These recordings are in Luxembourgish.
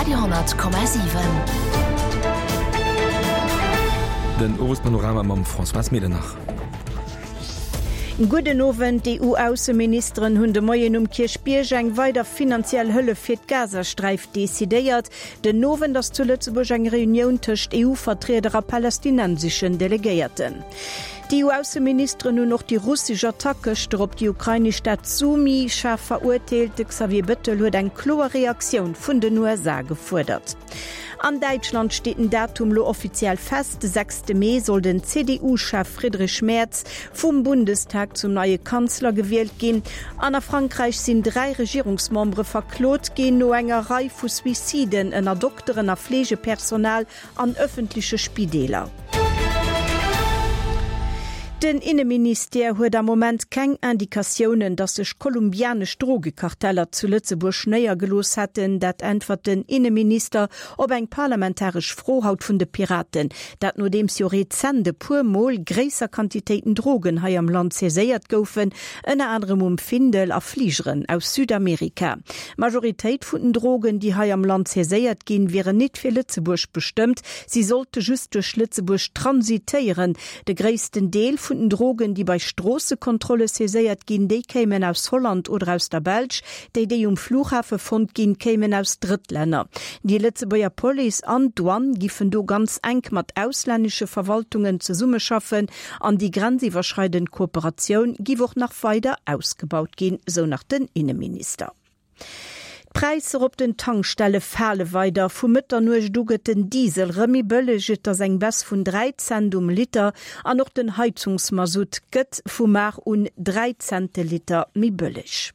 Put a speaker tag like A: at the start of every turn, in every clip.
A: Radio,7.
B: Den Owespanorama mam Françoise Medernach.
C: Gudden Owend. D'EU-Ausseministeren hunn de Moien um Kierchbierg eng weider finanziell Hëllef fir d'Gazasträif decidéiert. Den Owend ass zu Lëtzebuerg eng Reunioun tëscht EU-Vertrieder a palästinenseschen Delegéierten. D'EU-Ausseministeren hunn och déi russesch Attack gëschter op déi ukrainesch Stad Sumy schaarf verurteelt. De Xavier Bettel huet eng kloer Reaktioun vun den USA gefuerdert. An Däitschland steet den Datum lo offiziell fest, De sechste Mee soll den CDU-Chef Friedrich Merz vum Bundestag zum neie Kanzler gewielt ginn. An a Frankräich sinn 3 Regierungsmembere verklot ginn no enger Rei vu Suiciden ënner Dokteren a Fleegepersonal an ëffentleche Spideeler. Den Inneministère huet am Moment keng Indikatiounen, datt sech kolumbianesch Drogekarteller zu Lëtzebuerg néiergelooss hätten. Dat äntwert den Inneminister op eng parlamentaresch Fro haut vun de Piraten. Dat nodeems jo rezent e puer Mol gréisser Quantitéiten Drogen hei am Land saiséiert goufen, ënner anerem um Findel a Fligeren aus Südamerika. D'Majoritéit vun den Drogen, déi hei am Land saiséiert ginn, wieren nit fir Lëtzebuerg bestëmmt, si sollte just duerch Lëtzebuerg transitéieren. De gréissten Deel vun den Drogen, déi bei Stroossekontrolle saiséiert ginn, déi kéimen aus Holland oder aus der Belsch. Déi, déi um Flughafe fonnt ginn, kéimen aus Drëttlänner. Déi Lëtzebuerger Police an d'Douane giffen do ganz enk mat auslännesche Verwaltungen zesummeschaffen an déi grenziwwerschreidend Kooperatioun giff och nach weider ausgebaut ginn, sou nach den Inneminister. D'Präisser op den Tankstelle fale weider. Vu Mëtternuecht u gëtt den Diesel rëm méi bëlleg, et ass eng Baisse vun 3 Cent um Liter. An och den Heizungsmasutt gëtt vu mar un 3 Cent de Liter méi bëlleg.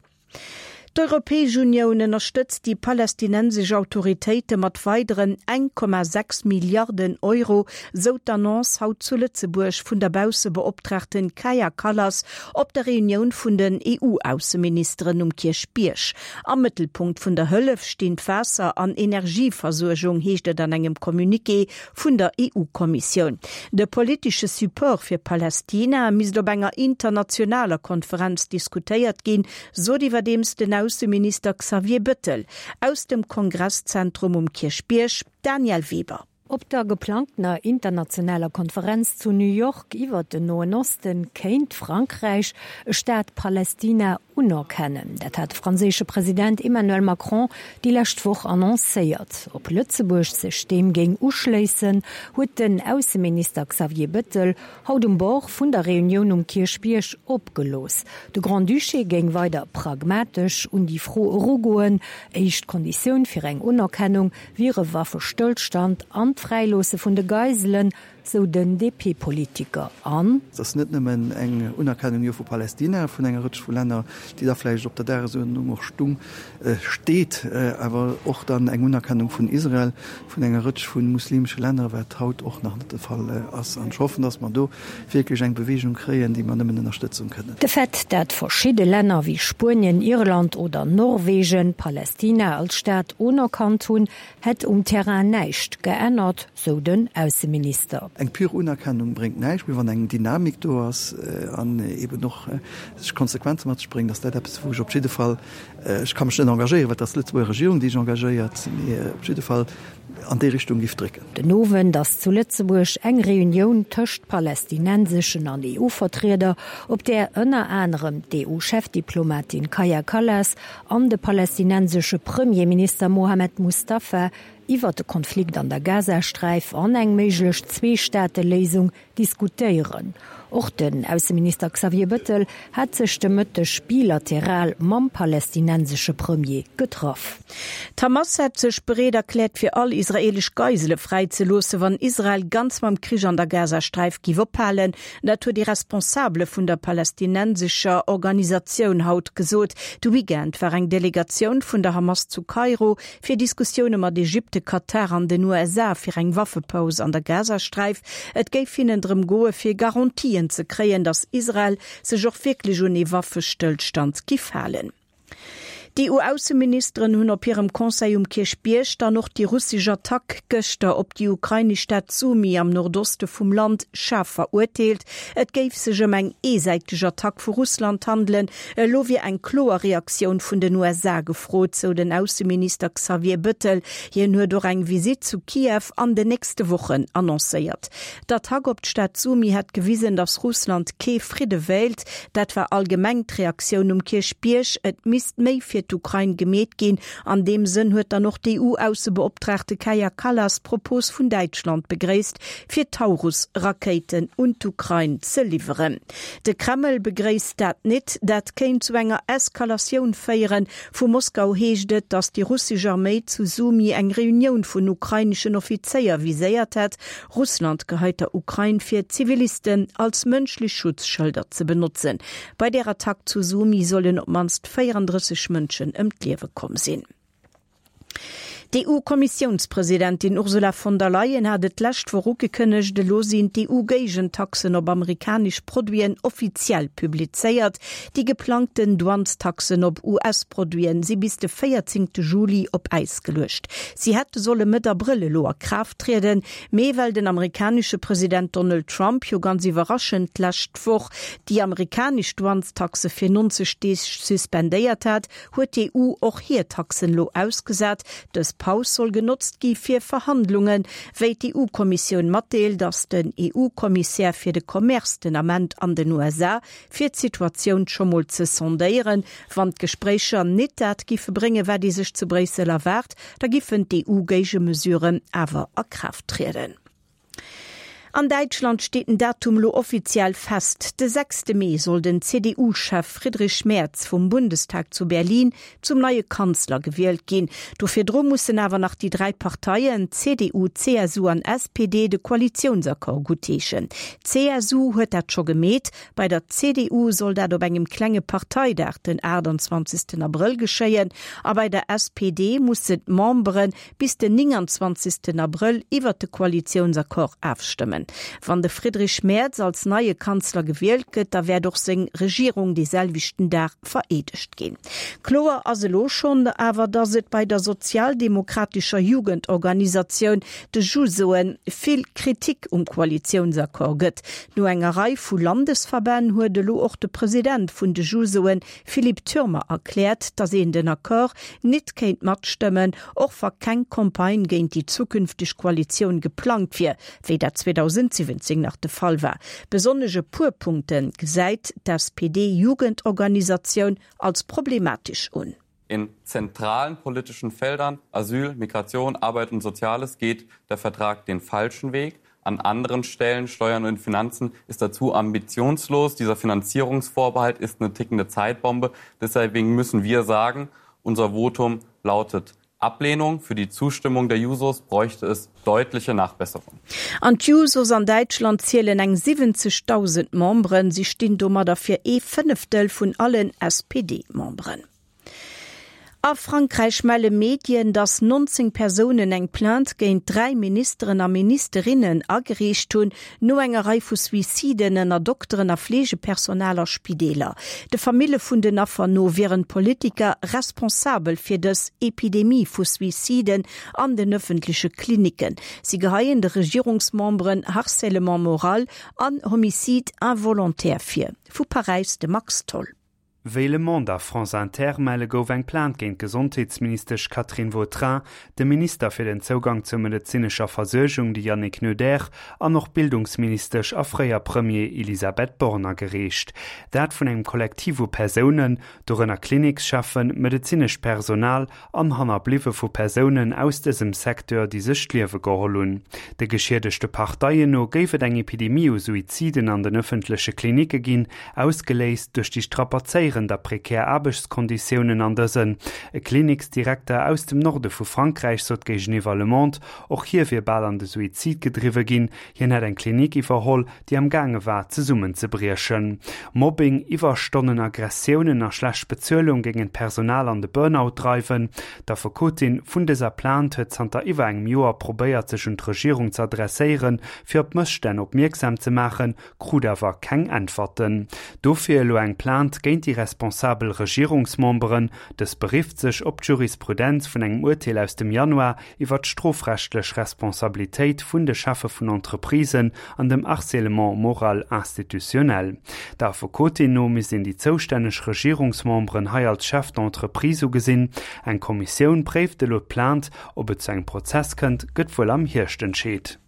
C: D'Europäesch Unioun ënnerstëtzt déi palästinensesch Autoritéite mat weideren 1,6 Milliarden Euro, sou d'Annonce haut zu Lëtzebuerg vun der Baussebeoptraagten Kaja Kallas op der Reunioun vun den EU-Ausseministeren um Kierchbierg. Am Mëttelpunkt vun der Hëllef stinn d'Waasser an Energieversuergung, heescht et an engem Communiqué vun der EU-Kommissioun. De politesche Support fir Palästina misst op enger internationaler Konferenz diskutéiert ginn, sot iwwerdeems den Ausseminister Xavier Bëttel aus dem Kongresszentrum um Kierchbierg. Danièle Weber.
D: Op der geplangtener internationaler Konferenz zu New York iwwert den Noen Osten kéint Frankräich e Staat Palästina unerkennen. Dat hat de franséische President Emmanuel Macron déi lescht Woch annoncéiert. Ob Lëtzebuerg sech deem géing uschléissen, huet den Ausseminister Xavier Bettel haut um Bord vun der Reunioun um Kierchbierg opgelooss. De Grand-Duché géing weider pragmatesch un déi Fro erugoen. Éischt Konditioun fir eng Unerkennung wier e Waffestëllstand an d'Fräiloosse vun de Geiselen, sou den DP-Politiker an.
E: Et ass net nëmmen eng Unerkennung jo vu Palästina, vun enger Rëtsch vu Länner, déi da vläicht op der Dagesuerdnung och stung, steet, awer och dann eng Unerkennung vun Israel, vun enger Rëtsch vu muslimesche Länner, wat haut och nach net de Fall ass. An ech hoffen, datt mer do wierklech eng Bewegung kréien, déi mer nëmmen ënnerstëtzen kënnen.
D: De Fait, dat verschidde Länner wéi Spuenien, Irland oder Norwegen Palästina als Staat unerkannt hunn, hätt um Terrain näischt geännert, sou den Ausseminister.
E: Eng pure Unerkennung bréngt näischt, mee wann eng Dynamik do ass an eben och sech Konsequenze mat sech bréngt, ass dat eppes, wou ech op jidde Fall, ech ka mech net engagéieren, well et ass d'Lëtzebuerger Regierung, déi sech engagéiert, mee op jidde Fall an déi Richtung giff drécken.
D: Den Owend ass zu Lëtzebuerg eng Reunioun tëscht palästinenseschen an EU-Vertrieder, op där ënner anerem d'EU-Chefdiplomatin Kaja Kallas an de palästinensesche Premierminister Mohammed Mustafa iwwer de Konflikt an der Gazasträif an eng méiglech Zweestaateléisung diskutéieren. Och den Ausseminister Xavier Bettel hat sech de Mëtteg bilateral mam palästinensesche Premier getraff.
C: D'Hamas hätt sech bereet erkläert, fir all israeelesch Geisele fräizeloossen, wann Israel ganz mam Krich an der Gazasträif giff ophalen. Dat huet ee Responsabele vun der palästinensescher Organisatioun haut gesot. De Weekend war eng Delegatioun vun der Hamas zu Kairo, fir Diskussioune mat Ägypte, Katar an den USA fir eng Waffepaus an der Gazasträif. Et géif hinnen drëm goe fir Garantien ze kréien, datt Israel sech och wierklech un ee Waffestëllstand giff halen. D'EU-Ausseministeren hunn op hirem Conseil um Kierchbierg dann och déi russesch Attack gëschter op déi ukrainesch Stad Sumy am Nordoste vum Land schaarf verurteelt. Et géif sech ëm eng eesäiteg Attack vu Russland handelen. Elo wier eng kloer Reaktioun vun den USA gefrot, sou den Ausseminister Xavier Bëttel. Hien huet och eng Visitt zu Kiew an den nächste Wochen annoncéiert. D'Attack op d'Stad Sumy hätt gewisen, datt Russland kee Fridde wéilt. Dat war allgemeng d'Reaktioun um Kierchbierg. Et misst méi fir d'Ukrain gemeet ginn. An deem Sënn huet dann och d'EU-Aussebeoptraagte Kaja Kallas d'Propos vun Däitschland begréisst, fir Taurus-Rakéiten un d'Ukrain ze liwweren. De Kreml begréisst dat nit. Dat kéint zu enger Eskalatioun féieren. Vu Moskau heescht et, datt déi russesch Arméi zu Sumy eng Reunioun vun ukraineschen Offizéier viséiert hätt. Russland geheit der Ukrain vir, Zivilisten als mënschlech Schutzschëlder ze benotzen. Bei där Attack zu Sumy sollen op d'mannst 34 Mënschen ëm d'Liewe komm sinn. D'EU-Kommissiounspresidentin Ursula von der Leyen hat et d'lescht Woch ugekënnegt, elo sinn d'EU-Géigentaxen op amerikanesch Produiten offiziell publizéiert. Déi geplangten Douanestaxen op US-Produiten si bis de 14 Juli op Äis geluecht. Si hätte solle Mëtt Abrëll elo a Kraaft trieden, mee well den amerikanesche President Donald Trump jo ganz iwwerraschend d'lescht Woch déi amerikanesch Douanestaxe fir 90 Deeg suspendéiert hat, huet d'EU och hir Taxen elo ausgesat. Dës Paus soll genotzt gi fir Verhandlungen. Wéi d'EU-Kommissioun matdeelt, ass den EU-Kommissär fir de Commerce den Ament an den USA, fir d'Situatioun scho mol ze sondéieren. Wann d'Gespréicher nit dat giffe bréngen, wat ee sech zu Bréissel erwaart, da giffen d'EU-Géigemesuren awer a Kraaft trieden. An Däitschland steet den Datum elo offiziell fest, De sechste Mee soll den CDU-Chef Friedrich Merz vum Bundestag zu Berlin zum neie Kanzler gewielt ginn. Do virdru mussen awer nach déi 3 Parteien, CDU, CSU an SPD, de Koalitiounsaccord guttheeschen. D'CSU huet dat scho gemeet. Bei der CDU soll dat op engem klenge Parteidag den 28 Abrëll geschéien a bei der SPD mussen d'Membere bis den 29 Abrëll iwwert de Koalitiounsaccord afstëmmen. Wann de Friedrich Merz als neie Kanzler gewielt gëtt, da wäert och seng Regierung dee selwechten Dag vereedegt ginn. Kloer ass elo schonn awer, datt et bei der sozialdemokratescher Jugendorganisatioun, de Jusoen, vill Kritik um Koalitiounsaccord gëtt. No enger Rei vu Landesverbänn huet elo och de President vun de Jusoen, Philippe Thürmer erkläert, datt een den Accord nit kéint matstëmmen, och wa keng Campagne géint déi zukünfteg Koalitioun geplangt wier, wéi dat 2017 nach de Fall war. Besonnesch e puer Punkte gesäit d'SPD-Jugendorganisatioun als problematesch un.
A: In zentralen politischen Feldern, Asyl, Migration, Arbeit und Soziales, geht der Vertrag den falschen Weg. An anderen Stellen, Steuern und Finanzen, ist er zu ambitionslos. Dieser Finanzierungsvorbehalt ist eine tickende Zeitbombe. Deswegen müssen wir sagen, unser Votum lautet Ablehnung. Für die Zustimmung der Jusos bräuchte es deutliche Nachbesserungen.
C: An d'Jusos an Däitschland zielen eng 70.000 Memberen. Si stinn domadder fir ee Fënneftel vun allen SPD-Memberen. A Frankräich melle Medien, datt 19 Persounen eng Plainte géint 3 Ministeren a Ministerinnen agereecht hunn, no enger Rei vu Suiciden ënner Dokteren a Fleegepersonal a Spideeler. De Famille vun den Affer no wieren d'Politiker responsabel fir dës Epidemie vu Suiciden an den ëffentleche Klinicken. Si geheien de Regierungsmemberen Harcèlement moral an Homicide involontaire vir. Vu Paräis de Max Tholl.
F: Wéi Le Monde a France Inter melle gouf eng Plainte géint d'Gesondheetsministesch Catherine Vautrin, de Minister fir den Zougang zur medezinescher Versuergung, de Yannick Neuder, an och d'Bildungsministesch a fréier Premier Elisabeth Borne agereecht. Dat vun engem Kollektiv u Persounen, dorënner Klinikscheffen, medezinescht Personal an Hannerbliwwe vu Persounen aus dësem Secteur, déi sech d'Liewe geholl hunn. De geschiedegte Parteien no géif et eng Epidemie u Suiziden an den ëffentleche Klinicke ginn, ausgeléist duerch déi strapazéierend a prekär Aarbechtskonditiounen an dësen. E Kliniksdirekter aus dem Norde vu Frankräich sot géigeniwwer Le Monde, och hie wier bal an de Suizid gedriwwe ginn. Hien hätt eng Klinik iwwerholl, déi am gaange war zesummenzebriechen. Mobbing, Iwwerstonnen, Aggressiounen a schlecht Bezuelung géingen d'Personal an de Burnout dreiwen. D'Affekotin vun dëser Plainte huet zanter iwwer engem Joer probéiert sech un d'Regierung ze adresséieren, fir op d'Mësstänn opmierksam ze maachen, krut awer keng Äntwerten. Dofir elo eng Plainte géint déi. responsabel Regierungsmemberen. Dës berifft sech op d'Jurisprudenz vun engem Urteel aus dem Januar iwwer d'strofrechtlech Responsabilitéit vun de Cheffe vun Entreprisen an dem Harcèlement moral institutionnel. Der Affekotin no misst een déi zoustänneg Regierungsmemberen hei als Chef d'entreprise ugesinn. Eng Kommissioun préift elo d'Plainte. Ob et zu engem Prozess kënnt, gëtt wuel am Hierscht entscheet.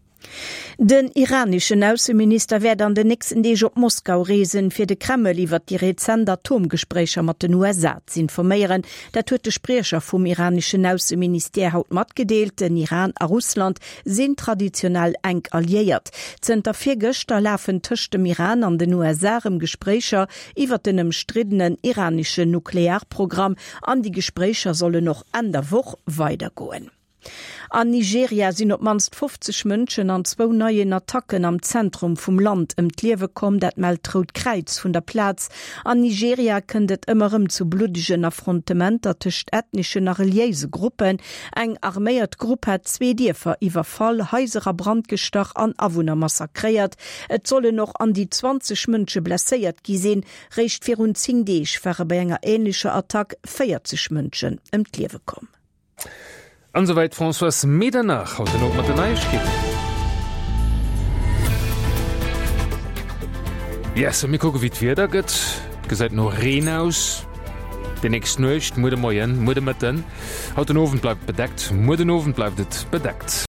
C: Den iraneschen Ausseminister wäert an den nächsten Deeg op Moskau reesen, fir de Kreml iwwert déi rezent Atomgespréicher mat den USA z'informéieren. Dat huet de Spriecher vum iraneschen Ausseministère haut matgedeelt. Den Iran a Russland sinn traditionell enk Alliéiert. Zënter virgëschter lafen tëscht dem Iran an den USA erëm Gespréicher iwwert den ëmstriddenen iraneschen Nuklearprogramm an déi Gespréicher sollen och Enn der Woch weidergoen. An Nigeria sinn op d'mannst 50 Mënschen an zwou neien Attacken am Zentrum vum Land ëm d'Liewe komm. Dat mellt d'Rout Kräiz vun der Plaz. An Nigeria kënnt et ëmmer erëm zu bluddegen Affrontementer tëscht ethneschen a reliéise Gruppen. Eng arméiert Grupp hat zwee Dierfer iwwerfall, Haiser a Brand gestach an Awunner massakréiert. Et sollen och an déi 20 Mënsche blesséiert gi sinn. Réischt virun 10 Deeg ware bei enger änlecher Attack 40 Mënschen ëm d'Liewe komm.
B: An esouwäit d'Françoise Medernach haut den Owend mat den Neiegkeeten. Yes, a mir kucke wéi d'Wieder gëtt. Et gesäit no Reen aus déi nächst Nuecht, muer de Moien, muer de Mëtten. Haut den Owend bleift et bedeckt, muer den Owend bleift et bedeckt.